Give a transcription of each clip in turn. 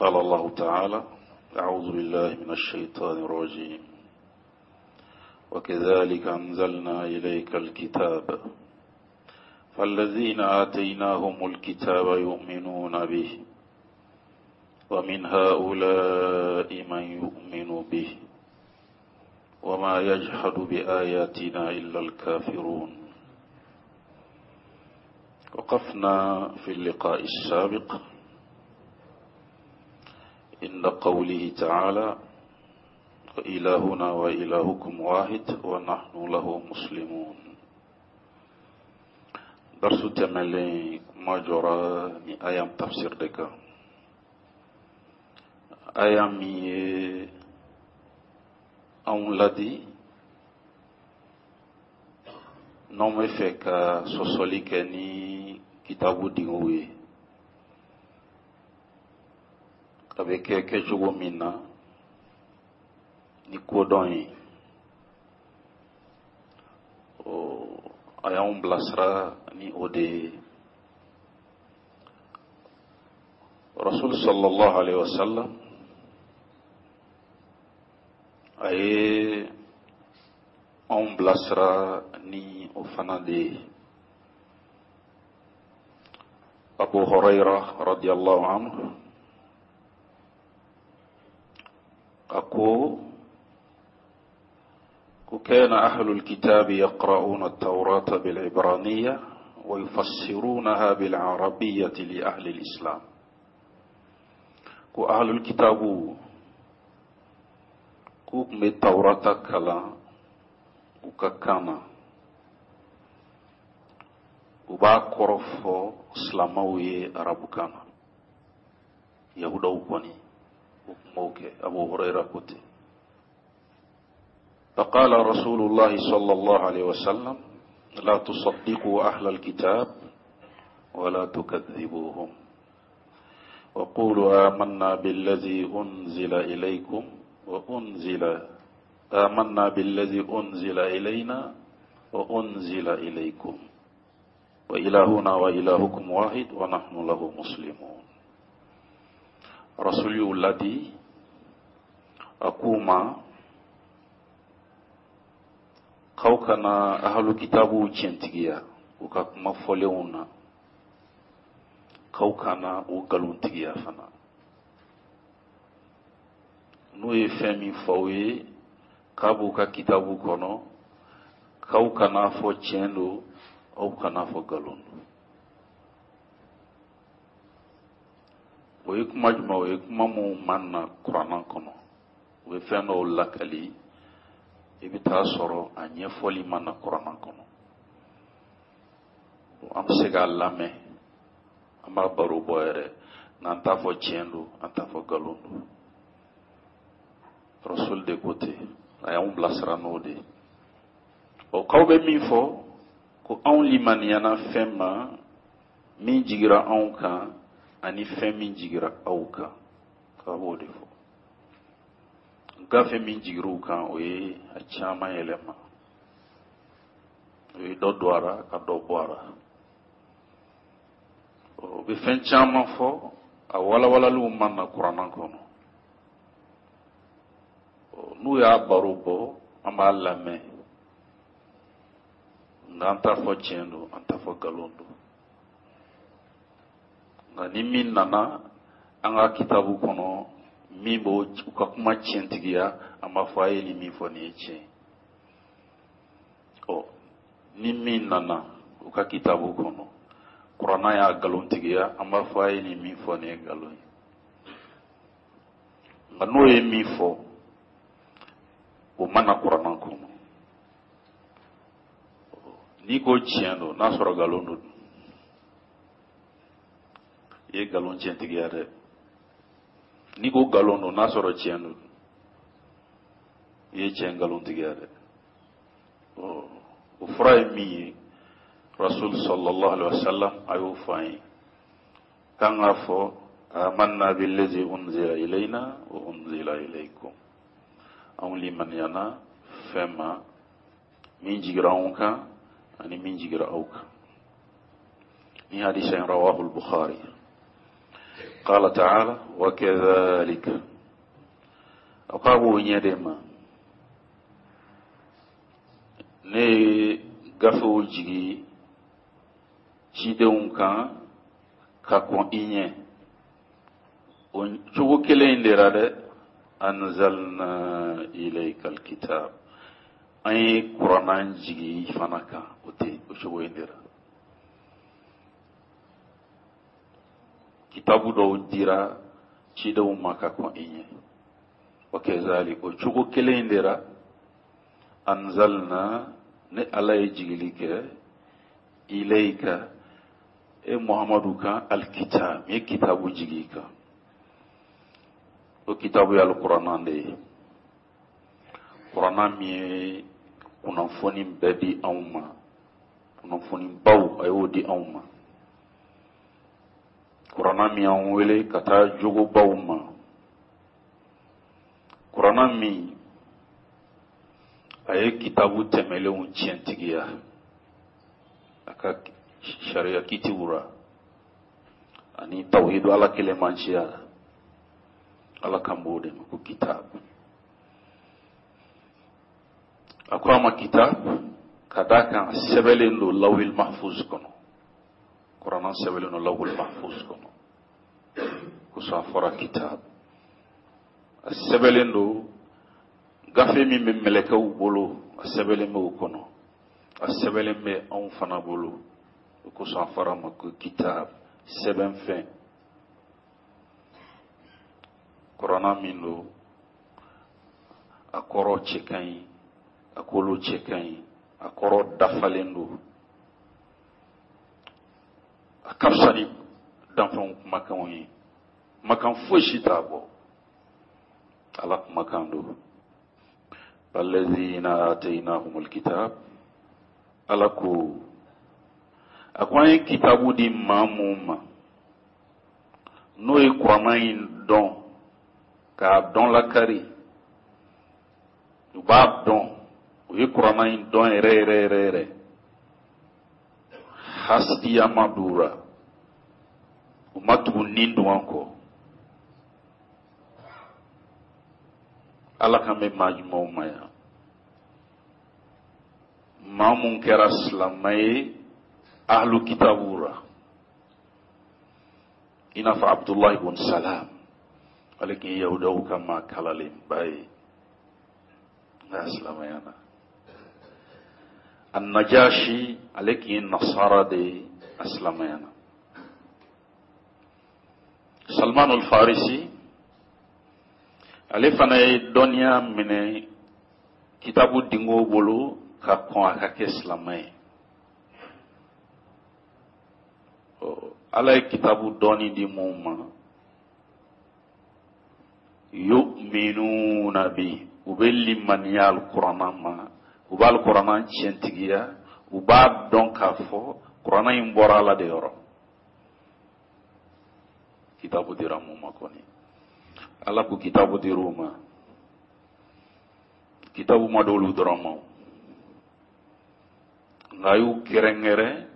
قال الله تعالى: أعوذ بالله من الشيطان الرجيم، وكذلك أنزلنا إليك الكتاب فالذين آتيناهم الكتاب يؤمنون به ومن هؤلاء من يؤمن به وما يجحد بآياتنا إلا الكافرون. وقفنا في اللقاء السابق عند قوله تعالى: وإلهنا وإلهكم واحد ونحن له مسلمون. Darsu tɛmɛlen, kuma jɔra ni aya tafsir de kan, aya min ye anw ladi n'anw bɛ fɛ ka sɔsɔli kɛ ni kitabu dingew ye, a bɛ kɛ kɛcogo min na ni kodɔn ye. A y'anw bilasira ni o de ye. Rasul sallallahu alaihi wasallam a ye anw bilasira ni o fana de ye. Abu Huraira radiyallahu anhu a ko وكان أهل الكتاب يقرؤون التوراة بالعبرانية ويفسرونها بالعربية لأهل الإسلام. Ko أهل الكتاب k'u tun bɛ Tawurata kalan u ka kan na, u b'a kɔrɔ fɔ silamaw ye arabukan na. Yahudaw kɔni, u tun b'o kɛ. Abu Hurayra ko ten. فقال رسول الله صلى الله عليه وسلم: لا تصدقوا أهل الكتاب ولا تكذبوهم، وقولوا آمنا بالذي أنزل إليكم وأنزل آمنا بالذي أنزل إلينا وأنزل إليكم، وإلهنا وإلهكم واحد ونحن له مسلمون. Rasul y'u ladi, a k'u ma k'aw kana ahalu kitabuw tiɲɛtigiya u ka kuma fɔlenw na, k'aw kana u nkalontigiya fana. N'u ye fɛn min fɔ aw ye k'a b'u ka kitabu kɔnɔ, k'aw kana fɔ tiɲɛ don, aw kana fɔ nkalon don. O ye kuma jumɛn? O ye kuma minnu ma na kuranna kɔnɔ. U bɛ fɛn dɔw lakali, i bɛ taa sɔrɔ a ɲɛfɔli ma na kuranna kɔnɔ. An bɛ se k'a lamɛn, an b'a baro bɔ yɛrɛ, nka an t'a fɔ tiɲɛ don, an t'a fɔ nkalon don. Rasul de ko ten, a y'anw bilasira n'o de ye. Ɔ, k'aw bɛ min fɔ ko anw limaniyana fɛn ma min jigira anw kan ani fɛn min jigira aw kan, k'a b'o de fɔ. Gafe min jigir'u kan, o ye a caman yɛlɛma, o ye dɔ don a ra ka dɔ bɔ a ra. O bɛ fɛn caman fɔ, a walawalaliw ma na kuranna kɔnɔ. N'u y'a baro bɔ, an b'a lamɛn, nka an t'a fɔ tiɲɛ don, an t'a fɔ nkalon don. Nka ni min nana an ka kitabu kɔnɔ min b'o u ka kuma tiɲɛtigiya, an b'a fɔ a ye nin min fɔ, nin ye tiɲɛ. Ɔ, ni min nana u ka kitabu kɔnɔ, kuranna y'a nkalontigiya, an b'a fɔ a ye nin min fɔ, nin ye nkalon ye. Nka n'o ye min fɔ, o ma na kuranna kɔnɔ, n'i ko tiɲɛ don, n'a sɔrɔ nkalon don, i ye nkalon tiɲɛtigiya dɛ. N'i ko nkalon don, n'a sɔrɔ tiɲɛ don, i ye tiɲɛ nkalontigiya dɛ. O fura ye min ye, Rasul sallallahu alaihi wa sallam a y'o fɔ an ye k'an k'a fɔ: amanna billazi unzila ilayna wa unzila ilaykum. Anw limaniyana fɛn ma min jigira anw kan ani min jigira aw kan. Ni hadisa in, rawahu al-Bukhari. Qala ta'ala wa kadhalika, a ko a b'o ɲɛ de ma, ne ye gafew jigi cidenw kan ka kɔn i ɲɛ, o cogo kelen in de ra dɛ. Anzalna ilayka alkitab, an ye kurana jigi i fana kan o ten, o cogo in de ra. Kitabu dɔw dira cidenw ma ka kɔn i ɲɛ, wa kazalik, o cogo kelen in de ra, anzalna, ne Ala ye jigili kɛ, ilayka, e Muhamadu kan, alkitab, n ye kitabu jigi i kan. O kitabu ye alikuranna de ye, kuranna min ye kunnafoni bɛɛ di anw ma, kunnafonibaw a y'o di anw ma, kuranna min y'an wele ka taa jogobaw ma, kuranna min a ye kitabu tɛmɛlenw tiɲɛtigiya a ka sariya kitiw ra ani tawhidu, Ala kelenmanciya la. Ala kan b'o de ma ko kitabu. A ko a ma kitab ka d'a kan a sɛbɛnlen don lawhil mahfuz kɔnɔ. Kuranna sɛbɛnlen don lawhil mahfuz kɔnɔ, kosɔn a fɔra kitab. A sɛbɛnlen don gafe min bɛ mɛlɛkɛw bolo, a sɛbɛnlen bɛ o kɔnɔ, a sɛbɛnlen bɛ anw fana bolo, o kosɔn a fɔra a ma ko kitab, sɛbɛnfɛn. Kuranna min don, a kɔrɔ cɛ ka ɲi, a kolo cɛ ka ɲi, a kɔrɔ dafalen don, a ka fisa ni danfɛnw kumakanw ye, kumakan foyi si t'a bɔ, Ala kumakan don. Alladhina atainahumul kitab, Ala ko, a ko an ye kitabu di maa mun ma, n'o ye kuranna in dɔn k'a dɔn lakari, u b'a dɔn, u ye kuranna in dɔn yɛrɛ yɛrɛ yɛrɛ yɛrɛ, hasidiya ma don u ra, u ma tugu ni dungɔ kɔ. Ala kan bɛ maa jumɛnw ma yan? Maa mun kɛra silamɛ ye ahlu kitabu ra, i n'a fɔ Abudulayi bun Salam, ale tun ye yahudaw ka maa kalalenba ye, nka a silamɛyana. Annajashi, ale tun ye nasara de ye, a silamɛyana. Salman al-Farisi, ale fana ye dɔnniya minɛ kitabu dingo bolo ka kɔn a ka kɛ silamɛ ye. Ala ye kitabu dɔɔni di mun ma, yu'minuna bi, u bɛ limaniya alikuranna ma, u bɛ alikuranna tiɲɛtigiya, u b'a dɔn k'a fɔ kuranna in bɔra Ala de yɔrɔ. Kitabu dira mun ma kɔni, Ala ko kitabu dir'u ma, kitabu ma d'olu dɔrɔn ma, nka a y'u kɛrɛnkɛrɛn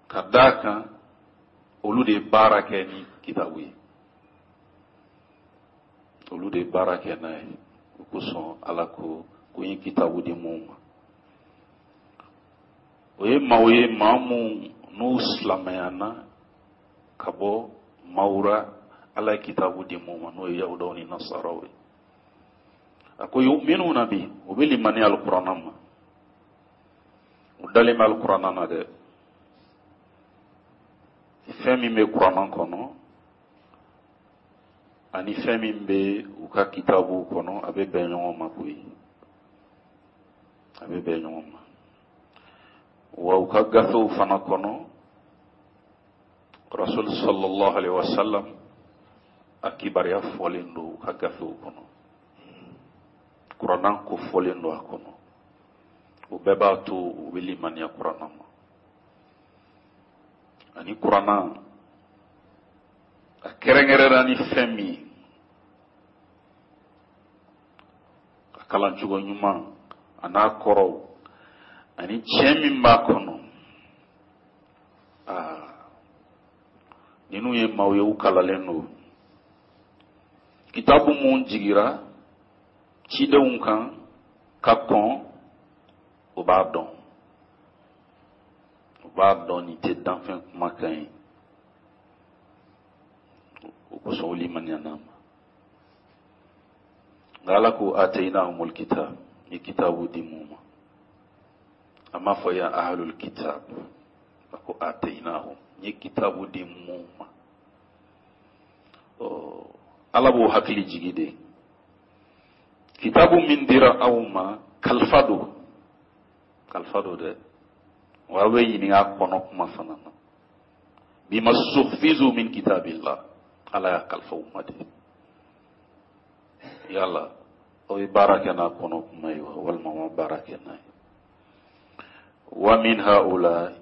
ka d'a kan olu de ye baara kɛ ni kitabu ye, olu de ye baara kɛ n'a ye. O kosɔn Ala ko ko n ye kitabu di mun ma, o ye maaw ye, maa mun n'u silamɛyana ka bɔ maaw ra Ala ye kitabu di mun ma, n'o ye yahudaw ni nasaraw ye. A ko yu'minuna bi, u bɛ limaniya alikuranna ma, u dalen bɛ alikuranna na dɛ. Fɛn min bɛ kuranna kɔnɔ ani fɛn min bɛ u ka kitabuw kɔnɔ, a bɛ bɛn ɲɔgɔn ma koyi, a bɛ bɛn ɲɔgɔn ma. Wa u ka gafew fana kɔnɔ, Rasul sallallahu alaihi wasallam a kibaruya fɔlen don u ka gafew kɔnɔ, kuranna ko fɔlen don a kɔnɔ. O bɛɛ b'a to u bɛ limaniya kuranna ma. Ani kuranna a kɛrɛnkɛrɛnna ni fɛn min ye, a kalancogo ɲuman a n'a kɔrɔw ani tiɲɛ min b'a kɔnɔ, aa, Ninnu ye maaw ye, u kalalen don. Kitabu mun jigira cidenw kan ka kɔn, o b'a dɔn, u b'a dɔn nin tɛ danfɛn kumakan ye. O kosɔn u limaniyana a ma. Nka Ala ko atainahumul kitab, n ye kitabu di mun ma. A m'a fɔ ya ahlul kitab, a ko atainahum, n ye kitabu di mun ma. Ala b'o hakili jigi de, kitabu min dira aw ma, kalifa don, kalifa don dɛ. Wa aw bɛ ɲininka a kɔnɔ kuma fana na. Bima stuhfizu min kitabillah, Ala y'a kalifa u ma de. Yala aw ye baara kɛ n'a kɔnɔ kuma ye wa, walima ma baara kɛ n'a ye? Wa min haula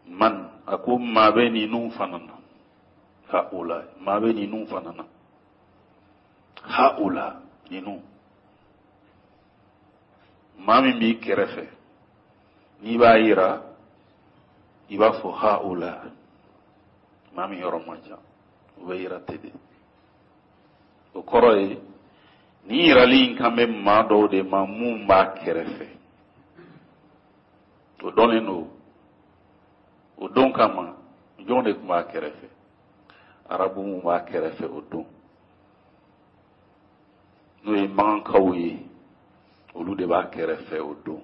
man, a ko maa bɛ ninnu fana na. Haula, maa bɛ ninnu fana na. Haula, ninnu, maa min b'i kɛrɛfɛ, n'i b'a yira, i b'a fɔ haula. Maa min yɔrɔ man jan, o bɛ yira ten de. O kɔrɔ ye nin yirali in kan bɛ maa dɔw de ma mun b'a kɛrɛfɛ, o dɔnnen don. O don kama, jɔn de tun b'a kɛrɛfɛ? Arabu mun b'a kɛrɛfɛ o don, n'o ye makankaw ye, olu de b'a kɛrɛfɛ o don,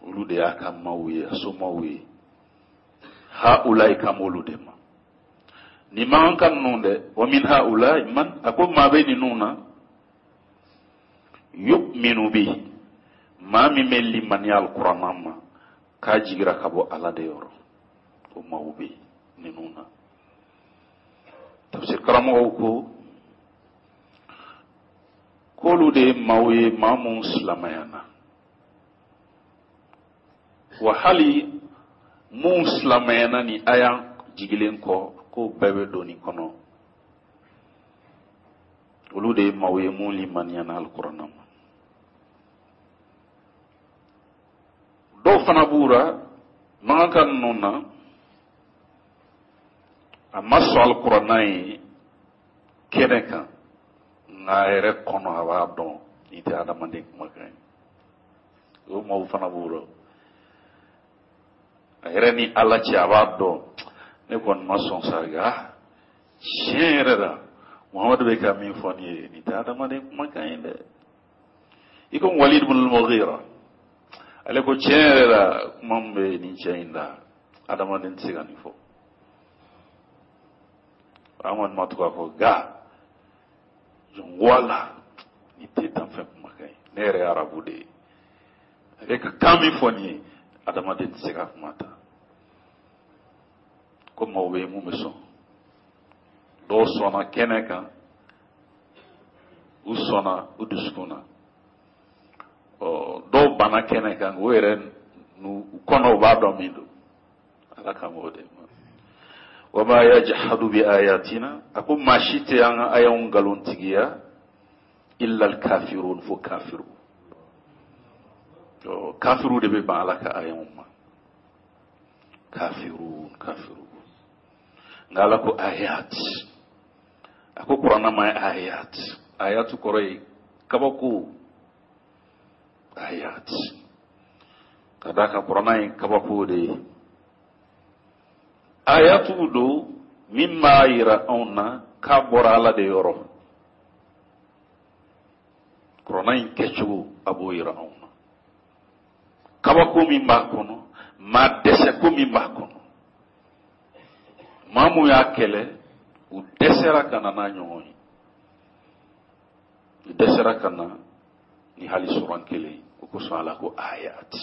olu de y'a ka maaw ye, a somaw ye. Haulayi kan b'olu de ma, nin makanka ninnu dɛ. Wa min haulayi man, a ko maa bɛ ninnu na, yu'minu bi, maa min bɛ limaniya alikuranna ma k'a jigira ka bɔ Ala de yɔrɔ, o maaw bɛ ninnu na. Tafsir karamɔgɔw ko k'olu de ye maaw ye, maa mun silamayana, wa hali mun silamayana ni aya jigilen kɔ, k'o bɛɛ bɛ don nin kɔnɔ. Olu de ye maaw ye mun limaniyana alikuranna ma. Dɔw fana b'u ra makanka ninnu na, a ma sɔn alikuranna ye kɛnɛ kan, nka a yɛrɛ kɔnɔ a b'a dɔn nin tɛ adamaden kumakan ye. O maaw fana b'u rɔ. A yɛrɛ ni Ala cɛ, a b'a dɔn ne kɔni ma sɔn sa, nka tiɲɛ yɛrɛ la, Muhamadu bɛ ka min fɔ nin ye, nin tɛ adamaden kumakan ye dɛ. I komi Walid ibn al-Mughira, ale ko tiɲɛ yɛrɛ la, kuma min bɛ nin cɛ in da, adamaden tɛ se ka nin fɔ. An kɔni ma tugu a kɔ, nka wala nin tɛ danfɛn kumakan ye. Ne yɛrɛ ye arabu de ye, a bɛ ka kan min fɔ nin ye, adamaden tɛ se ka kuma ta. Ko maaw bɛ yen mun bɛ sɔn, dɔw sɔnna kɛnɛ kan, u sɔnna u dusukun na. Ɔ dɔw banna kɛnɛ kan, u yɛrɛ n'u kɔnɔ u b'a dɔn min don. Ala kan b'o de ma. Wa ma yajhadu bi ayatina, a ko maa si tɛ an ka ayaw nkalontigiya, illa alkafirun, fo kafiru. Ɔ kafiru de bɛ ban Ala ka ayaw ma. Kafirun, kafiru. Nka Ala ko ayat, a ko kuranna ma ayat. Ayatu kɔrɔ ye kabako. Ayat, ka d'a kan kuranna ye kabako de ye. Ayatu don min b'a yira anw na k'a bɔra Ala de yɔrɔ. Kuranna in kɛcogo, a b'o yira anw na. Kabako min b'a kɔnɔ, maa dɛsɛ ko min b'a kɔnɔ, maa mun y'a kɛlɛ, u dɛsɛra ka na n'a ɲɔgɔn ye, u dɛsɛra ka na ni hali suran kelen. O kosɔn Ala ko ayat,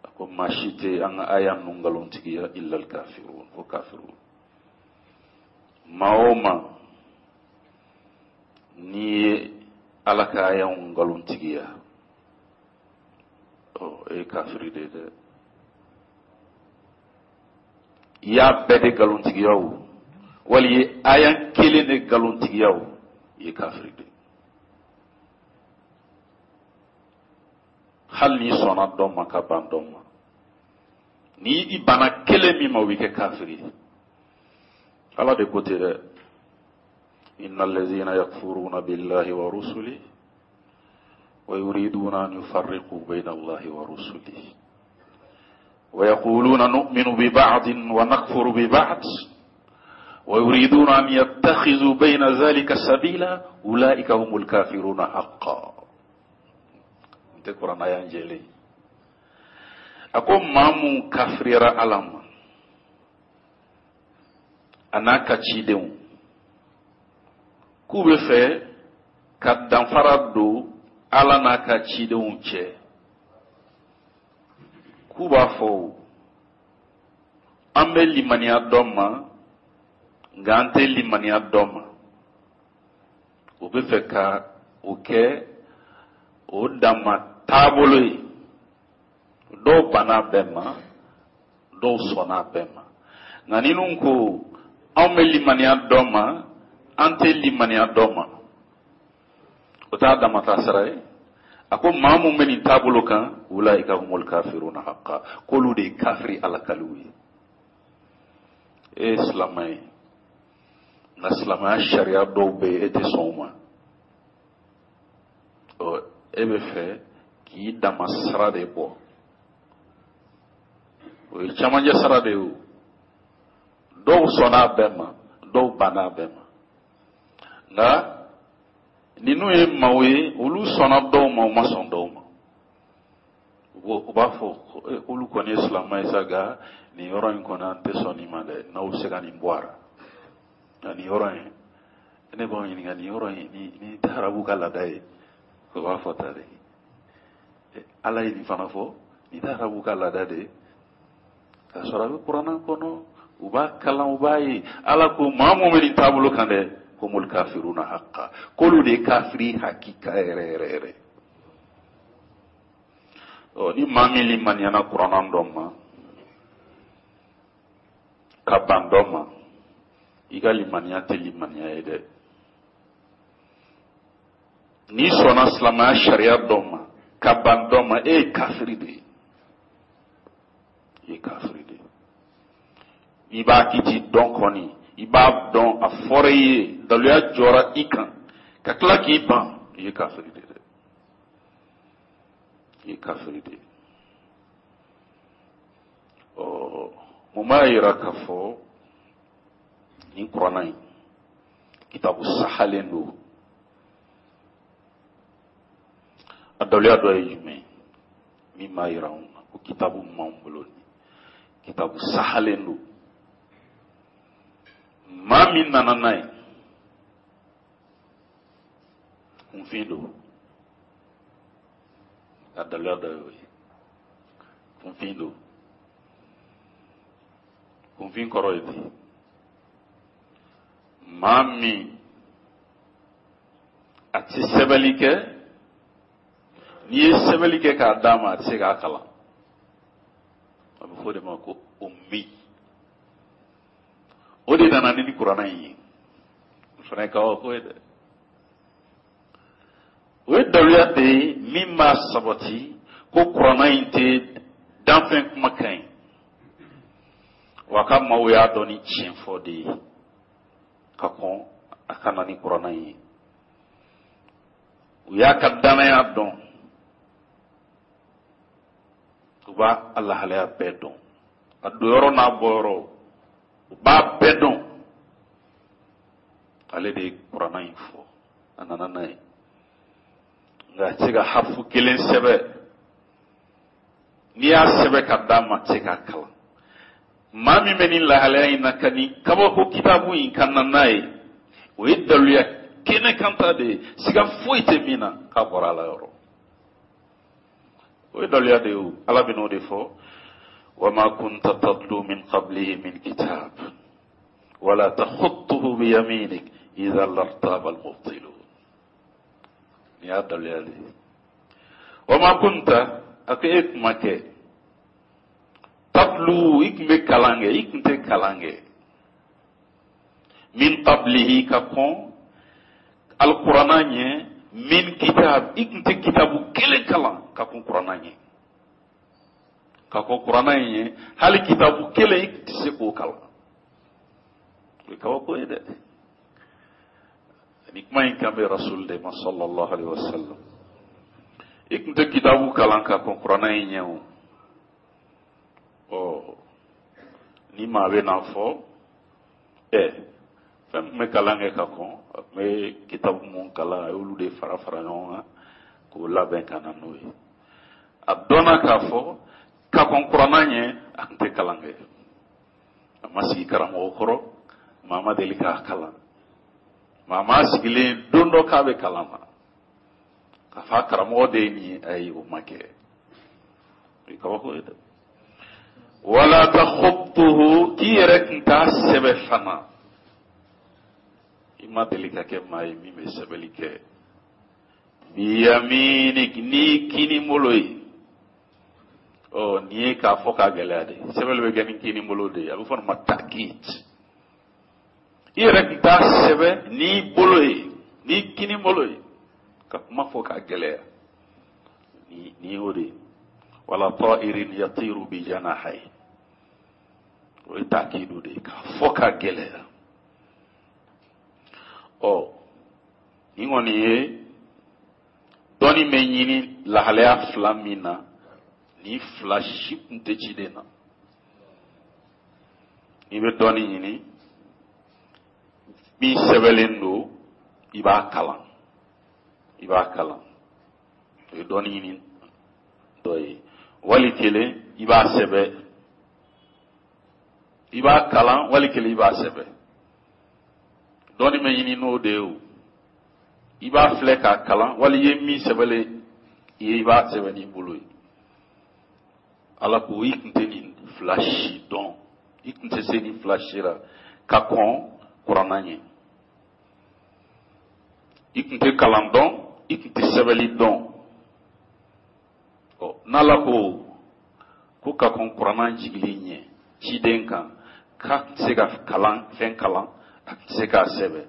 a ko maa si tɛ an ka aya ninnu nkalontigiya, illa alkafirun, fo kafirun. Maa o maa n'i ye Ala ka ayaw nkalontigiya, ɔ e ye kafiri de ye dɛ. I y'a bɛɛ de nkalontigiya o, wali i ye aya kelen de nkalontigiya o, i ye kafiri de ye. Hali n'i sɔnna dɔ ma ka ban dɔ ma. Ni i banna kelen min ma, o b'i kɛ kafiri ye. Ala de ko ten dɛ: inna allazina yakfuruna billahi wa rusulihi wa yuriduna an yufarriqu bayna allahi wa rusulihi wa yaquluna nu'minu bi ba'din wa nakfuru bi ba'd wa yuriduna an yattakhidhu bayna dhalika sabila ulaika humul kafiruna haqqan. N tɛ kuranna y'an jɛlen. A ko maa mun kafiriyara Ala ma a n'a ka cidenw, k'u bɛ fɛ ka danfara don Ala n'a ka cidenw cɛ, k'u b'a fɔ an bɛ limaniya dɔ ma nka an tɛ limaniya dɔ ma, u bɛ fɛ ka o kɛ o dama taabolo ye. Dɔw banna bɛɛ ma, dɔw sɔnna bɛɛ ma, nka ninnu ko anw bɛ limaniya dɔ ma, an tɛ limaniya dɔ ma, o t'a dama taasira ye. A ko maa mun bɛ nin taabolo kan, ulaika humul kafiruna haqqa, k'olu de ye kafiri alakaliw ye. E ye silamɛ ye, nka silamɛya sariya dɔw bɛ yen, e tɛ sɔn o ma. Ɔ, e bɛ fɛ k'i dama sira de bɔ, o ye camancɛ sira de ye. O dɔw sɔnna a bɛɛ ma, dɔw banna a bɛɛ ma, nka ninnu ye maaw ye, olu sɔnna dɔw ma, u ma sɔn dɔw ma. U b'a fɔ k'olu kɔni ye silamɛ ye sa, nka nin yɔrɔ in kɔni, an tɛ sɔn nin ma dɛ, n'aw bɛ se ka nin bɔ a la. Nka nin yɔrɔ in, ne b'aw ɲininka, nin yɔrɔ in, nin tɛ arabu ka laada ye? O b'a fɔ ta de. Ala ye nin fana fɔ, nin tɛ arabu ka laada de ye? K'a sɔrɔ a bɛ kuranna kɔnɔ, u b'a kalan, u b'a ye. Ala ko maa mun bɛ nin taabolo kan dɛ, humul kafiruna haqqa, k'olu de ye kafiri hakika yɛrɛ yɛrɛ yɛrɛ. Ɔ, ni maa min limaniyana kuranna dɔ ma ka ban dɔ ma, i ka limaniya tɛ limaniya ye dɛ. N'i sɔnna silamɛya sariya dɔ ma ka ban dɔ ma, e ye kafiri de ye, i ye kafiri de ye. I b'a kiti dɔn kɔni, i b'a dɔn, a fɔra i ye, daluya jɔra i kan, ka tila k'i ban, i ye kafiri de ye dɛ, i ye kafiri de ye. Ɔ, mun b'a yira k'a fɔ nin kuranna in kitabu sahalen don? A daluya dɔ ye jumɛn ye min b'a yira anw na ko kitabu min b'anw bolo nin kitabu sahalen don? Maa min nana n'a ye, kunfin don. A daluya dɔ y'o ye, kunfin don. Kunfin kɔrɔ ye di? Maa min a tɛ sɛbɛnni kɛ, n'i ye sɛbɛnni kɛ k'a d'a ma, a tɛ se k'a kalan. A bɛ fɔ o de ma ko ummi. O de nana ni kuranna in ye. O fana ye kabako ye dɛ. O ye daluya de ye min b'a sabati ko kuranna in tɛ danfɛn kumakan ye, wa ka maaw y'a dɔn ni tiɲɛ fɔ de ye ka kɔn a ka na ni kuranna in ye. U y'a ka danaya dɔn, u b'a a lahalaya bɛɛ dɔn, a donyɔrɔ n'a bɔyɔrɔ, u b'a bɛɛ dɔn. Ale de ye kuranna in fɔ, a nana n'a ye, nka a tɛ se ka harifu kelen sɛbɛn. N'i y'a sɛbɛn ka d'a ma, a tɛ se k'a kalan. Maa min bɛ nin lahalaya in na ka nin kabako kitabu in ka na n'a ye, o ye daluya kɛnɛ kan ta de ye, siga foyi tɛ min na k'a bɔra Ala yɔrɔ. O ye daluya de ye o. Ala bɛn'o de fɔ: wama kunta tatlu min qablihi min kitab wala takhutuhu biyaminik idhan lartaba almubtilun. Nin y'a daluya de ye. Wama kunta, a ko e tun ma kɛ, tatlu, i tun bɛ kalan kɛ, i tun tɛ kalan kɛ, min qablihi, ka kɔn alikuranna ɲɛ, min kitab, i tun tɛ kitabu kelen kalan ka kɔn kuranna ɲɛ. Ka kɔn kuranna in ɲɛ, hali kitabu kelen i tun tɛ se k'o kalan. O ye kabako ye dɛ. Ni kuma in kan bɛ rasul de ma sallallahu alaihi wasallam. I tun tɛ kitabu kalan ka kɔn kuranna in ɲɛ o. Ɔ, ni maa bɛ n'a fɔ ɛ fɛn tun bɛ kalan kɛ ka kɔn, a tun bɛ kitabu mun kalan, a y'olu de fara fara ɲɔgɔn kan k'o labɛn ka na n'o ye. A dɔnna k'a fɔ ka kɔn kuranna ɲɛ, a tun tɛ kalan kɛ, a ma sigi karamɔgɔ kɔrɔ, maa ma deli k'a kalan, maa ma sigilen don dɔ k'a bɛ kalan na k'a fɔ a karamɔgɔ de ye nin ye. Ayi, o ma kɛ. O ye kabako ye dɛ. Wala takhutuhu, k'i yɛrɛ tun t'a sɛbɛ fana, i ma deli ka kɛ maa ye min bɛ sɛbɛli kɛ. Biyaminik, ni kini bolo ye. Ɔ, nin ye k'a fɔ k'a gɛlɛya de. Sɛbɛli bɛ kɛ ni kini bolo de ye, a bɛ fɔ nin ma takid. I yɛrɛ tun t'a sɛbɛ n'i bolo ye, n'i kini bolo ye, ka kuma fɔ k'a gɛlɛya. Nin y'o de ye. Wala ta'irin yatiru bi janahi, o ye takidu de ye, k'a fɔ k'a gɛlɛya. Ɔ, nin kɔni ye dɔnni bɛ ɲini lahalaya fila min na, nin fila si tun tɛ ciden na. N'i bɛ dɔnni ɲini, min sɛbɛnlen don, i b'a kalan, i b'a kalan, o ye dɔnni ɲini dɔ ye. Wali kelen i b'a sɛbɛ, i b'a kalan, wali kelen i b'a sɛbɛ. Dɔnni bɛ ɲini n'o de ye o. I b'a filɛ k'a kalan, wali i ye min sɛbɛlen ye, i b'a sɛbɛn n'i bolo ye. Ala ko i tun tɛ nin fila si dɔn, i tun tɛ se nin fila si la ka kɔn kuranna ɲɛ. I tun tɛ kalan dɔn, i tun tɛ sɛbɛnni dɔn. Ɔ, n'Ala ko ko ka kɔn kuranna jigili ɲɛ ciden kan, k'a tun tɛ se ka kalan fɛn kalan, a tun tɛ se k'a sɛbɛn,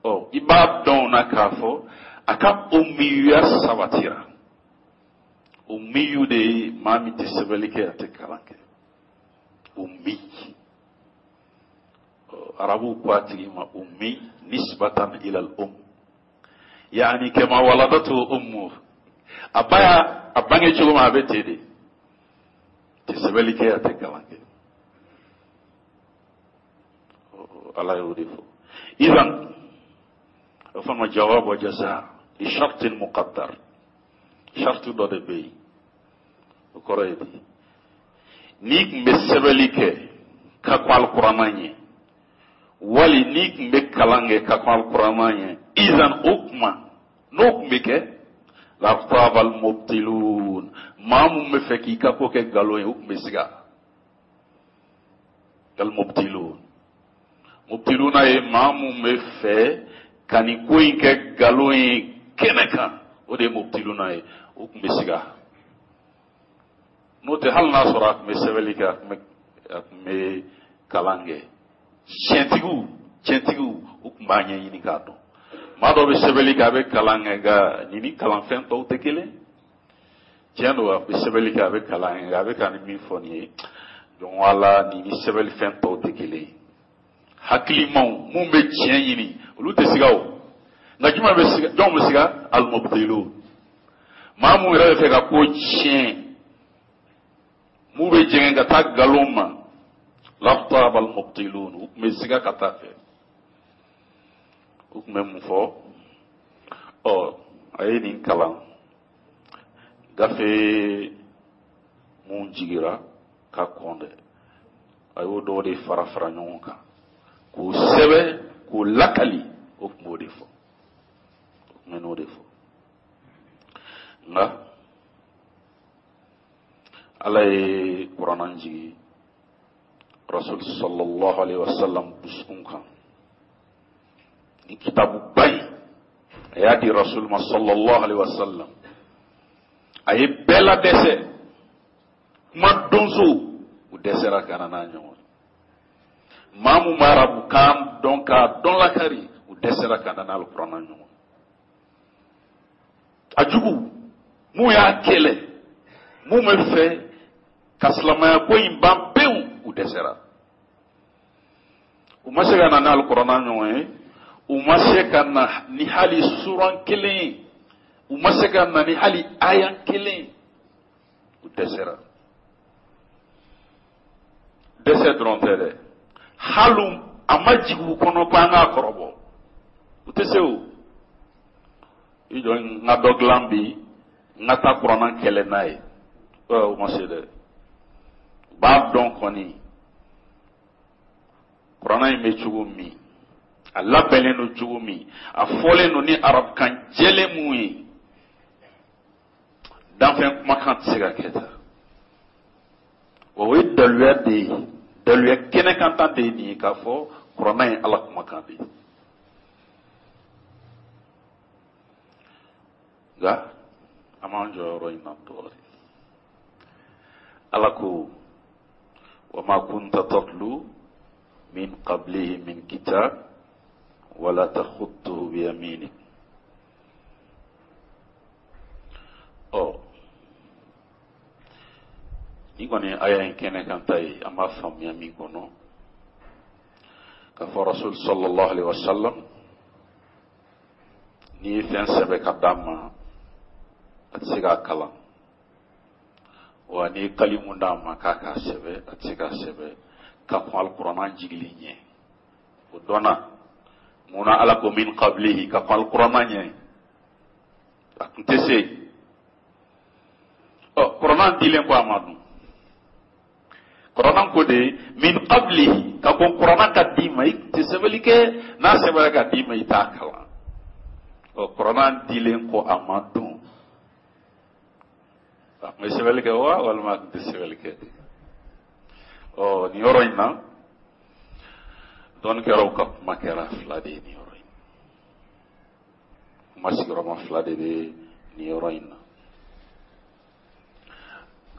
ɔ, i b'a dɔn o na k'a fɔ a ka ummiya sabatira. Ummiyu de ye maa min tɛ sɛbɛnni kɛ, a tɛ kalan kɛ, ummi. Arabuw ko a tigi ma ummi nisbatan ila al-um, yaani kama waladatu ummu, a ba y'a a bange cogo min, a bɛ ten de, tɛ sɛbɛnni kɛ, a tɛ kalan kɛ. Ala y'o de fɔ. Idan o fana ma jawab wa jaza li shartin muqaddar, shartu dɔ de bɛ yen. O kɔrɔ ye di? N'i tun bɛ sɛbɛnni kɛ ka kɔn alikuranna ɲɛ, wali n'i tun bɛ kalan kɛ ka kɔn alikuranna ɲɛ, izan o kuma n'o tun bɛ kɛ, lartaba almubtilun, maa mun bɛ fɛ k'i ka ko kɛ nkalon ye, o tun bɛ siga. Almubtilun, mubtiluna ye maa mun bɛ fɛ ka nin ko in kɛ nkalon ye kɛnɛ kan, o de ye mubtiluna ye, o tun bɛ siga. N'o tɛ, hali n'a sɔrɔ a tun bɛ sɛbɛnni kɛ, a tun bɛ kalan kɛ, tiɲɛtigiw, u tun b'a ɲɛɲini k'a dɔn. Maa dɔ bɛ sɛbɛnni kɛ, a bɛ kalan kɛ, nka nin ni kalanfɛn tɔw tɛ kelen. Tiɲɛ don, a bɛ sɛbɛnni kɛ, a bɛ kalan kɛ, nka a bɛ ka nin min fɔ nin ye, donc wala nin ni sɛbɛnni tɔw tɛ kelen ye. Hakilimaw mun bɛ tiɲɛ ɲini, olu tɛ siga o. Nka jumɛn bɛ siga? Jɔn bɛ siga? Alimubtilun, maa mun yɛrɛ bɛ fɛ ka ko tiɲɛ, mun bɛ jɛngɛ ka taa nkalon ma. Lartaba almubtilun, u tun bɛ siga ka taa fɛ. U tun bɛ mun fɔ? Ɔ, a ye nin kalan gafe mun jigira ka kɔn dɛ, a y'o dɔw de fara fara ɲɔgɔn kan k'o sɛbɛn k'o lakali. O tun b'o de fɔ, o tun bɛ n'o de fɔ. Nka Ala ye kuranna jigi rasul sallallahu alaihi wasallam dusukun kan. Ni kitabuba in, a y'a di rasul ma sallallahu alaihi wasallam, a ye bɛɛ ladɛsɛ. Kuma donsow, u dɛsɛra ka na n'a ɲɔgɔn. Maa mun bɛ arabukan dɔn k'a dɔn lakari, u dɛsɛra ka na n'alikuranna ɲɔgɔn. A jugu mun y'a kɛlɛ, mun bɛ fɛ Ka silamɛya ko in ban pewu, u dɛsɛra. U ma se ka na ni alikuranna ɲɔgɔn ye, u ma se ka na ni hali suran kelen ye, u ma se ka na ni hali aya kelen ye, u dɛsɛra. Dɛsɛ dɔrɔn tɛ dɛ, hali a ma jigin u kɔnɔ ko an k'a kɔrɔbɔ, u tɛ se. O i jɔ, n ka dɔ dilan bi, n ka taa kuranna kɛlɛ n'a ye, u ma se dɛ. U b'a dɔn kɔni kuranna in bɛ cogo min, a labɛnnen don cogo min, a fɔlen don ni arabukan jɛlen mun ye, danfɛn kumakan tɛ se ka kɛ tan. Wa o ye daluya de ye, daluya kɛnɛkanta de ye nin ye, k'a fɔ kuranna ye Ala kumakan de ye. Nka an b'an jɔ yɔrɔ in na dɔɔnin. Ala ko: wa ma kunta tatlu min qablihi min kitab wala takhutuhu biyaminik. Ɔ, nin kɔni aya in kɛnɛ kan ta ye, an b'a faamuya min kɔnɔ k'a fɔ Rasul sallallahu alaihi wasallam, n'i ye fɛn sɛbɛ ka d'a ma, a tɛ se k'a kalan. Wa n'i ye kalimu d'a ma k'a k'a sɛbɛ, a tɛ se k'a sɛbɛ ka kɔn alikuranna jigili ɲɛ. O dɔnna mun na? Ala ko min qablihi, ka kɔn alikuranna ɲɛ, a tun tɛ se. Ɔ, kuranna dilen kɔ a ma dun, kuranna ko de min qablihi, ka kɔn kuranna ka d'i ma, i tɛ sɛbɛnni kɛ, n'a sɛbɛnna ka d'i ma, i t'a kalan. Ɔ, kuranna dilen kɔ a ma dun, a tun bɛ sɛbɛnni kɛ wa, walima a tun tɛ sɛbɛnni kɛ de? Ɔ, nin yɔrɔ in na, dɔnnikɛlaw ka kuma kɛra fila de ye nin yɔrɔ in. Kuma sigiyɔrɔma fila de bɛ nin yɔrɔ in na.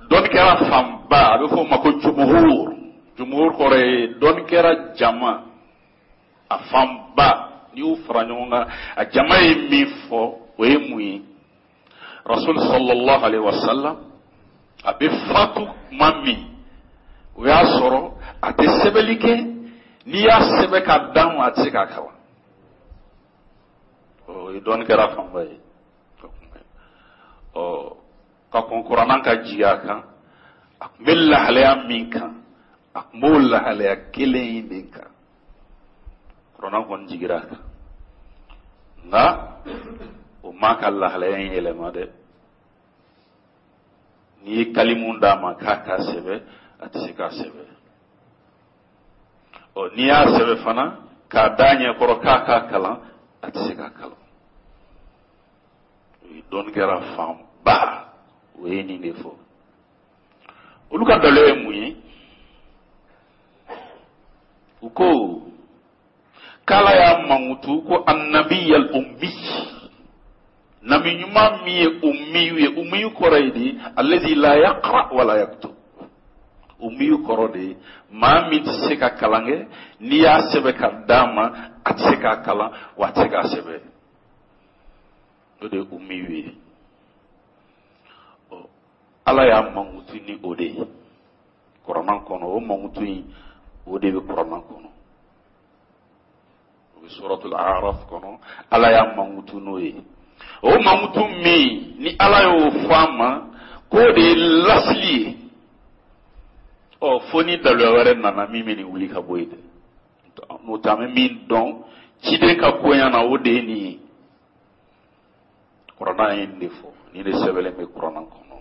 Dɔnnikɛla fanba, a bɛ fɔ o ma ko jumuhur. Jumuhur kɔrɔ ye dɔnnikɛla jama a fanba. N'i y'u fara ɲɔgɔn kan, a jama ye min fɔ, o ye mun ye? Rasul sallallahu alaihi wasallam, a bɛ fatu tuma min, o y'a sɔrɔ a tɛ sɛbɛnni kɛ. N'i y'a sɛbɛn ka d'a ma, a tɛ se k'a kalan. O ye dɔnnikɛla fanba ye. Ɔ, ka kɔn kuranna ka jigin a kan, a tun bɛ lahalaya min kan, a tun b'o lahalaya kelen in de kan. Kuranna kɔni jigira a kan, nka o m'a ka lahalaya in yɛlɛma dɛ. N'i ye kalimu d'a ma k'a k'a sɛbɛ, a tɛ se k'a sɛbɛ. Ɔ, n'i y'a sɛbɛ fana k'a d'a ɲɛkɔrɔ k'a k'a kalan, a tɛ se k'a kalan. O ye dɔnnikɛla fanba, o ye nin de fɔ. Olu ka dalilu ye mun ye? U ko k'Ala y'a mankutu ko annabiyal ummi, nabi ɲuman min ye ummiyu ye. Ummiyu kɔrɔ ye di? Allazi la yaqra wala yaktub. Ummiyu kɔrɔ de ye maa min tɛ se ka kalan kɛ. N'i y'a sɛbɛn ka d'a ma, a tɛ se k'a kalan, wa a tɛ se k'a sɛbɛn. O de ye ummiyu ye. Ala y'a mankutu ni o de ye kuranna kɔnɔ. O mankutu in, o de bɛ kuranna kɔnɔ, o bɛ suratul Araf kɔnɔ. Ala y'a mankutu n'o ye. O mankutu min ni Ala y'o fɔ a ma k'o de ye lasili ye, ɔ, fo ni daluya wɛrɛ nana min bɛ nin wuli ka bɔ yen dɛ. N'o tɛ, an bɛ min dɔn ciden ka koɲa na, o de ye nin ye. Kuranna ye nin de fɔ, nin de sɛbɛnlen bɛ kuranna kɔnɔ: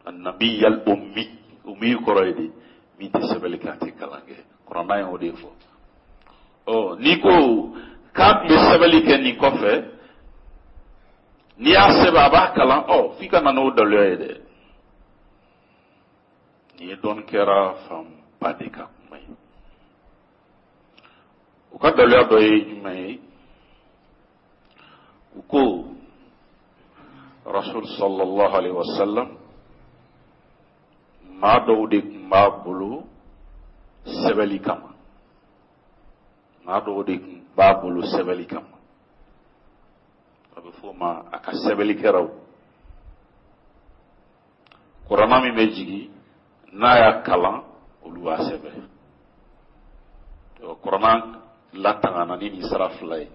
annabiyal ummi. Ummi kɔrɔ ye di? Min tɛ sɛbɛnni kɛ, a tɛ kalan kɛ. Kuranna ye o de fɔ. Ɔ, n'i ko k'a tun bɛ sɛbɛnni kɛ nin kɔfɛ, n'i y'a sɛbɛn a b'a kalan, ɔ, f'i ka na n'o daluya ye dɛ. Nin ye dɔnnikɛla fanba de ka kuma ye. U ka daluya dɔ ye jumɛn ye? U ko Rasul sallallahu alaihi wasallam, maa dɔw de tun b'a bolo sɛbɛli kama, maa dɔw de tun b'a bolo sɛbɛli kama, a bɛ f'o ma a ka sɛbɛlikɛlaw. Kuranna min bɛ jigin N'a y'a kalan, olu b'a sɛbɛn. Kuranna latangana ni nin sira fila ye,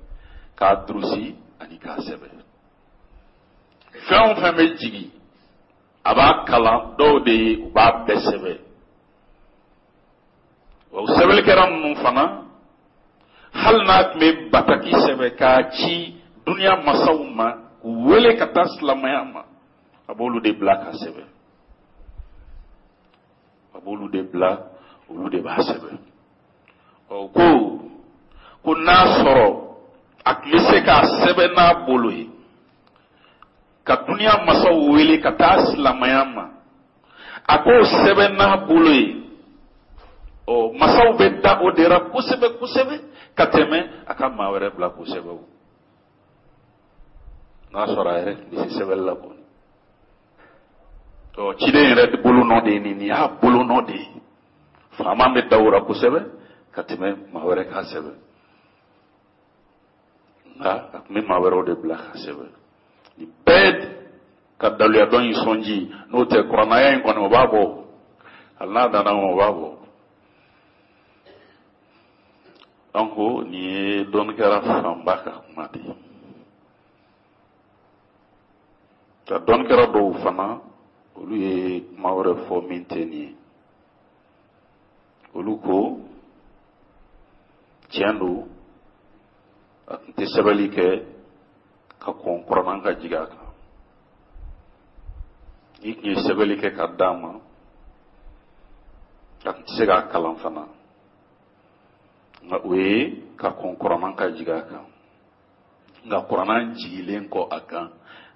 k'a durusi ani k'a sɛbɛn. Fɛn o fɛn bɛ jigin, a b'a kalan dɔw de ye, u b'a bɛɛ sɛbɛn. O sɛbɛnnikɛla ninnu fana, hali n'a tun bɛ bataki sɛbɛn k'a ci duniya masaw ma k'u wele ka taa silamɛya ma, a b'olu de bila k'a sɛbɛn, a b'olu de bila, olu de b'a sɛbɛn. Ɔ ko n'a sɔrɔ a tun bɛ se k'a sɛbɛn n'a bolo ye ka duniya masaw wele ka taa silamɛya ma, a k'o sɛbɛn n'a bolo ye, ɔ masaw bɛ da o de ra kosɛbɛ kosɛbɛ ka tɛmɛ a ka maa wɛrɛ bila k'o sɛbɛn. O n'a sɔrɔ a yɛrɛ tun bɛ se sɛbɛnni la kɔni. Ɔ ciden yɛrɛ bolonɔ de ye nin y'a bolonɔ de ye. Faama bɛ da o ra kosɛbɛ ka tɛmɛ maa wɛrɛ k'a sɛbɛn. Nka a tun bɛ maa wɛrɛw de bila k'a sɛbɛn. Nin bɛɛ ka daluya dɔ in sɔnji, n'o tɛ kuranaya in kɔni, o b'a bɔ. Hali n'a danna o b'a bɔ. Donc nin ye dɔnnikɛla fanba ka kuma de ye. Nka dɔnnikɛla dɔw fana, olu ye kuma wɛrɛ fɔ min tɛ nin ye. Olu ko tiɲɛ don, a tun tɛ sɛbɛnni kɛ ka kɔn kuranna ka jigin a kan. N'i tun ye sɛbɛnni kɛ ka d'a ma, a tun tɛ se k'a kalan fana. Nka o ye ka kɔn kuranna ka jigin a kan. Nka kuranna jigilen kɔ a kan,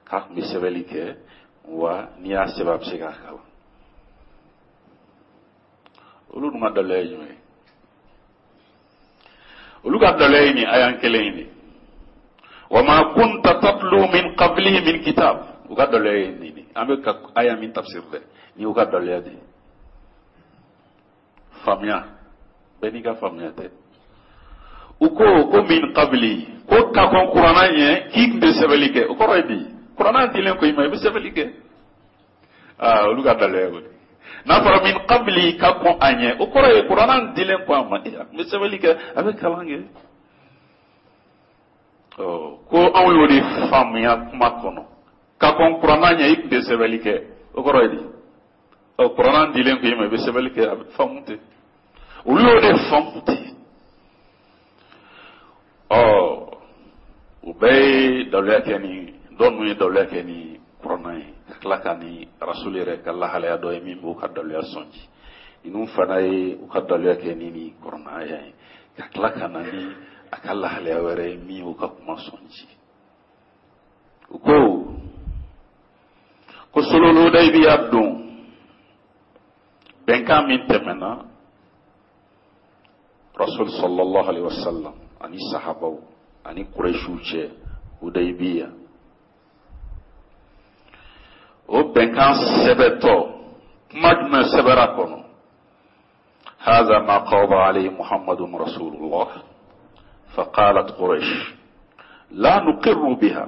k'a tun bɛ sɛbɛnni kɛ, wa n'i y'a sɛbɛn, a bɛ se k'a kalan. Olu dun ka daluya ye jumɛn ye? Olu ka daluya ye nin ayan kelen in de: wa ma kunta tatlu min qablihi min kitab. U ka daluya ye nin de. An bɛ ka aya min tafsir dɛ, nin y'u ka daluya de ye. Faamuya bɛɛ n'i ka faamuya tɛ. U ko min qabli, ko ka kɔn kuranna ɲɛ, k'i tun tɛ sɛbɛnni kɛ. O kɔrɔ ye di? Kuranna dilen kɔ i ma, i bɛ sɛbɛnni kɛ. Aa, olu ka daluya ye o de. N'a fɔra min qabli, ka kɔn a ɲɛ, o kɔrɔ ye kuranna dilen kɔ a ma, a tun bɛ sɛbɛnni kɛ, a bɛ kalan kɛ. Ɔ ko anw y'o de faamuya kuma kɔnɔ: ka kɔn kuranna ɲɛ, i tun tɛ sɛbɛnni kɛ, o kɔrɔ ye di? Ɔ kuranna dilen kɔ i ma, i bɛ sɛbɛnni kɛ, a bɛ faamu ten. Olu y'o de faamu ten. Ɔ u bɛɛ ye daluya kɛ ni dɔ ninnu ye, daluya kɛ ni kuranna ye, ka tila ka ni rasul yɛrɛ ka lahalaya dɔ ye min b'u ka daluya sɔnji. Ninnu fana ye u ka daluya kɛ ni kuranna aya ye, ka tila ka na ni a ka lahalaya wɛrɛ ye min y'u ka kuma sɔnji. U ko sulhul Hudaybiya don, bɛnkan min tɛmɛna rasul sallallahu alaihi wasallam ani sahabaw ani Quraishiw cɛ Hudaybiya, o bɛnkan sɛbɛtɔ, kuma jumɛn sɛbɛra kɔnɔ? هذا ما قاضى عليه محمد رسول الله. فقالت قريش: لا نقر بها،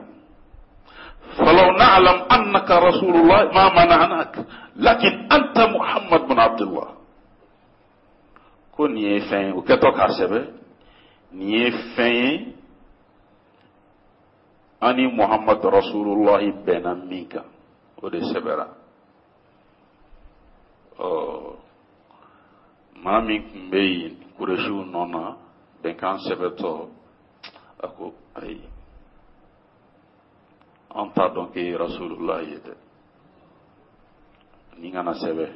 فلو نعلم أنك رسول الله ما منعناك، لكن أنت محمد بن عبد الله. Ko nin ye fɛn ye, o kɛtɔ k'a sɛbɛ, nin ye fɛn ye an ni Muhammad rasulullahi bɛnna min kan, o de sɛbɛra. Ɔ maa min tun bɛ yen Kuresiw nɔ na, bɛnkan sɛbɛtɔ, a ko: ayi, an t'a dɔn k'e ye rasulullahi ye dɛ, nin kana sɛbɛ.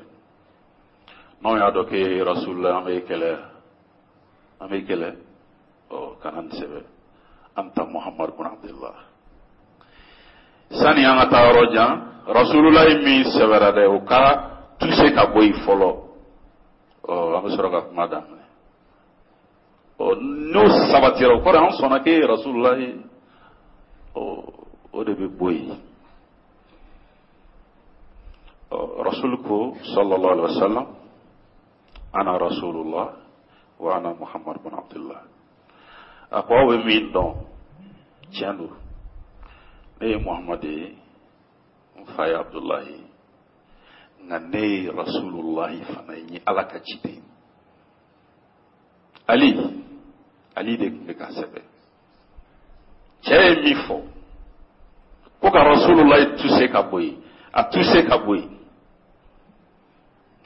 N'anw y'a dɔn k'e ye rasulullah, an b'e kɛlɛ, an b'e kɛlɛ. Ɔ kana nin sɛbɛ, anta Muhammad bin Abdullah. Sani an ka taa yɔrɔ jan, rasulullahi min sɛbɛra dɛ, o ka tuse ka bɔ yen fɔlɔ. Ɔ an bɛ sɔrɔ ka kuma daminɛ. Ɔ n'o sabatira, o kɔrɔ an sɔnna k'e ye rasulullahi. Ɔ o de bɛ bɔ yen. Rasul ko sallallahu alaihi wasallam: ana rasulullah wa ana Muhammad bin Abdullah. A ko aw bɛ min dɔn, tiɲɛ don, ne ye Muhammad ye, n fa ye Abdullahi ye. Nka ne ye rasulullahi fana ye, n ye Ala ka ciden ye. Ali, Ali de tun bɛ k'a sɛbɛn. Cɛ ye min fɔ ko ka rasulullahi tuse ka bɔ yen, a tuse ka bɔ yen,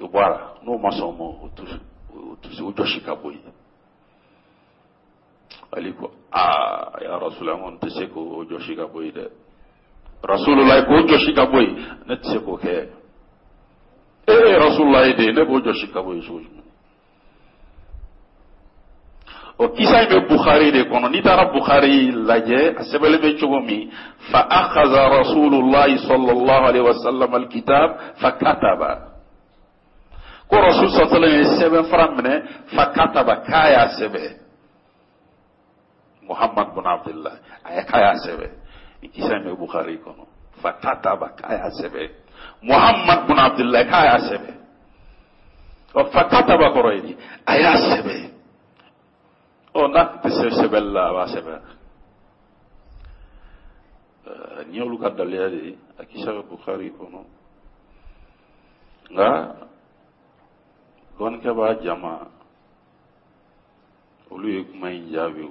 o bɔra. N'o ma sɔn o ma, o tuse, o jɔsi ka bɔ yen. Ali ko, aa ya Rasulullah, n kɔni tɛ se k'o jɔsi ka bɔ yen dɛ. Rasulullah, k'o jɔsi ka bɔ yen, ne tɛ se k'o kɛ. E ye Rasulullah de ye, ne b'o jɔsi ka bɔ yen cogo jumɛn? O kisa in bɛ Bukhari de kɔnɔ. N'i taara Bukhari lajɛ, a sɛbɛnlen bɛ cogo min, fa akhadha Rasulullah sallallahu alaihi wasallam alkitab fa kataba, ko Rasul sallallahu alaihi wasallam ye sɛbɛn fara minɛ, fa kataba, k'a y'a sɛbɛn, Muhammad bin Abdullah, a ye k'a y'a sɛbɛn. Nin kisa in bɛ Bukhari kɔnɔ, fa kataba, k'a y'a sɛbɛn, Muhammad bin Abdullah, k'a y'a sɛbɛn. Ɔ, fa kataba kɔrɔ ye di? A y'a sɛbɛn. Ɔ, n'a tun tɛ se sɛbɛnni la, a b'a sɛbɛn? Nin y'olu ka daliya de ye. A kisa bɛ Bukhari kɔnɔ. Nka dɔnnikɛbaa jama, olu ye kuma in jaabi. O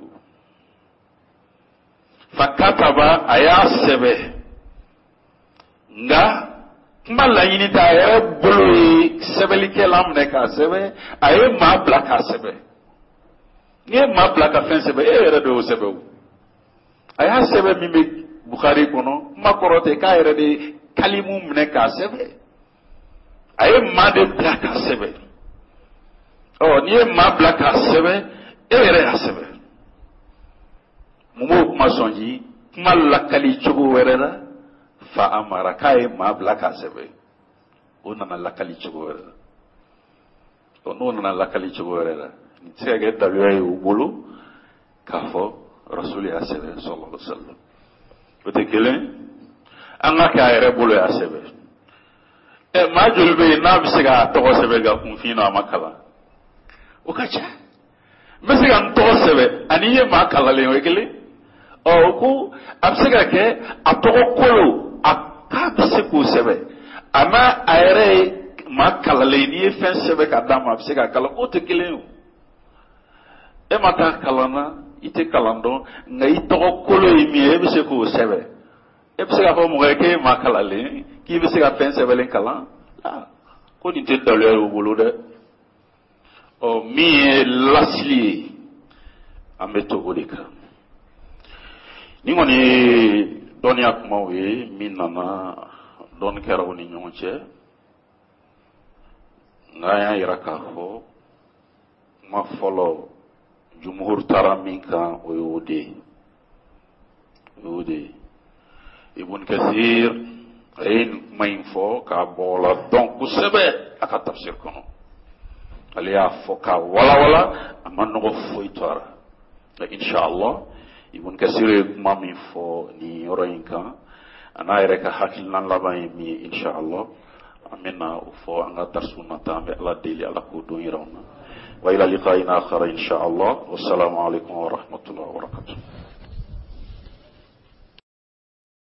fa kataba, a y'a sɛbɛ, nka kuma laɲini tɛ a yɛrɛ bolo ye sɛbɛnnikɛlan minɛ k'a sɛbɛ, a ye maa bila k'a sɛbɛ. N'i ye maa bila ka fɛn sɛbɛ, e yɛrɛ de y'o sɛbɛ. O a y'a sɛbɛ min bɛ Bukhari kɔnɔ, kuma kɔrɔ tɛ k'a yɛrɛ de ye kalimu minɛ k'a sɛbɛ, a ye maa de bila k'a sɛbɛ. Ɔ, n'i ye maa bila k'a sɛbɛ, e yɛrɛ y'a sɛbɛ. Mun b'o kuma sɔnji? Kuma lakali cogo wɛrɛ la, fa amara, k'a ye maa bila k'a sɛbɛ, o nana lakali cogo wɛrɛ la. Ɔ, n'o nana lakali cogo wɛrɛ la, nin tɛ se ka kɛ daluya ye u bolo k'a fɔ Rasuli y'a sɛbɛn sallallahu alaihi wa sallam. O tɛ kelen. An ka kɛ a yɛrɛ bolo y'a sɛbɛn. Ɛ, maa joli bɛ yen n'a bɛ se k'a tɔgɔ sɛbɛn ka kunfin na, a ma kalan? O ka ca. N bɛ se ka n tɔgɔ sɛbɛn ani i ye maa kalanlen, o ye kelen. Ɔ, o ko a bɛ se ka kɛ a tɔgɔ kolo, a k'a bɛ se k'o sɛbɛn, a n'a a yɛrɛ ye maa kalanlen, n'i ye fɛn sɛbɛn ka d'a ma, a bɛ se k'a kalan, k'o tɛ kelen ye. O e ma taa kalan na, i tɛ kalan dɔn, nka i tɔgɔ kolo ye min ye, e bɛ se k'o sɛbɛn. E bɛ se k'a fɔ mɔgɔ ye k'e ye maa kalanlen, k'i bɛ se ka fɛn sɛbɛnlen kalan? Ko nin tɛ daluya ye o bolo dɛ. Ɔ, min ye lasili ye, an bɛ to o de kan. Nin kɔni ye dɔnniya kumaw ye min nana dɔnni kɛra u ni ɲɔgɔn cɛ. Nka an y'a yira k'a fɔ kuma fɔlɔ, jumhur taara min kan, o ye o de ye, o y'o de ye. Ibn Kathir, a ye nin kuma in fɔ k'a bɔgɔla dɔn kosɛbɛ a ka tafsir kɔnɔ. Ale y'a fɔ k'a walawala, a ma nɔgɔ foyi to a la. Nka inshallah, Ibn Kathir ye kuma min fɔ nin yɔrɔ in kan, a n'a yɛrɛ ka hakilina laban ye min ye, inshallah an bɛna o fɔ an ka darisu nata. An bɛ Ala deli, Ala k'o don yira an na. Wa ila liqa'in akhar inshallah. Wassalamu alaikum wa rahmatullahi wa barakatuh.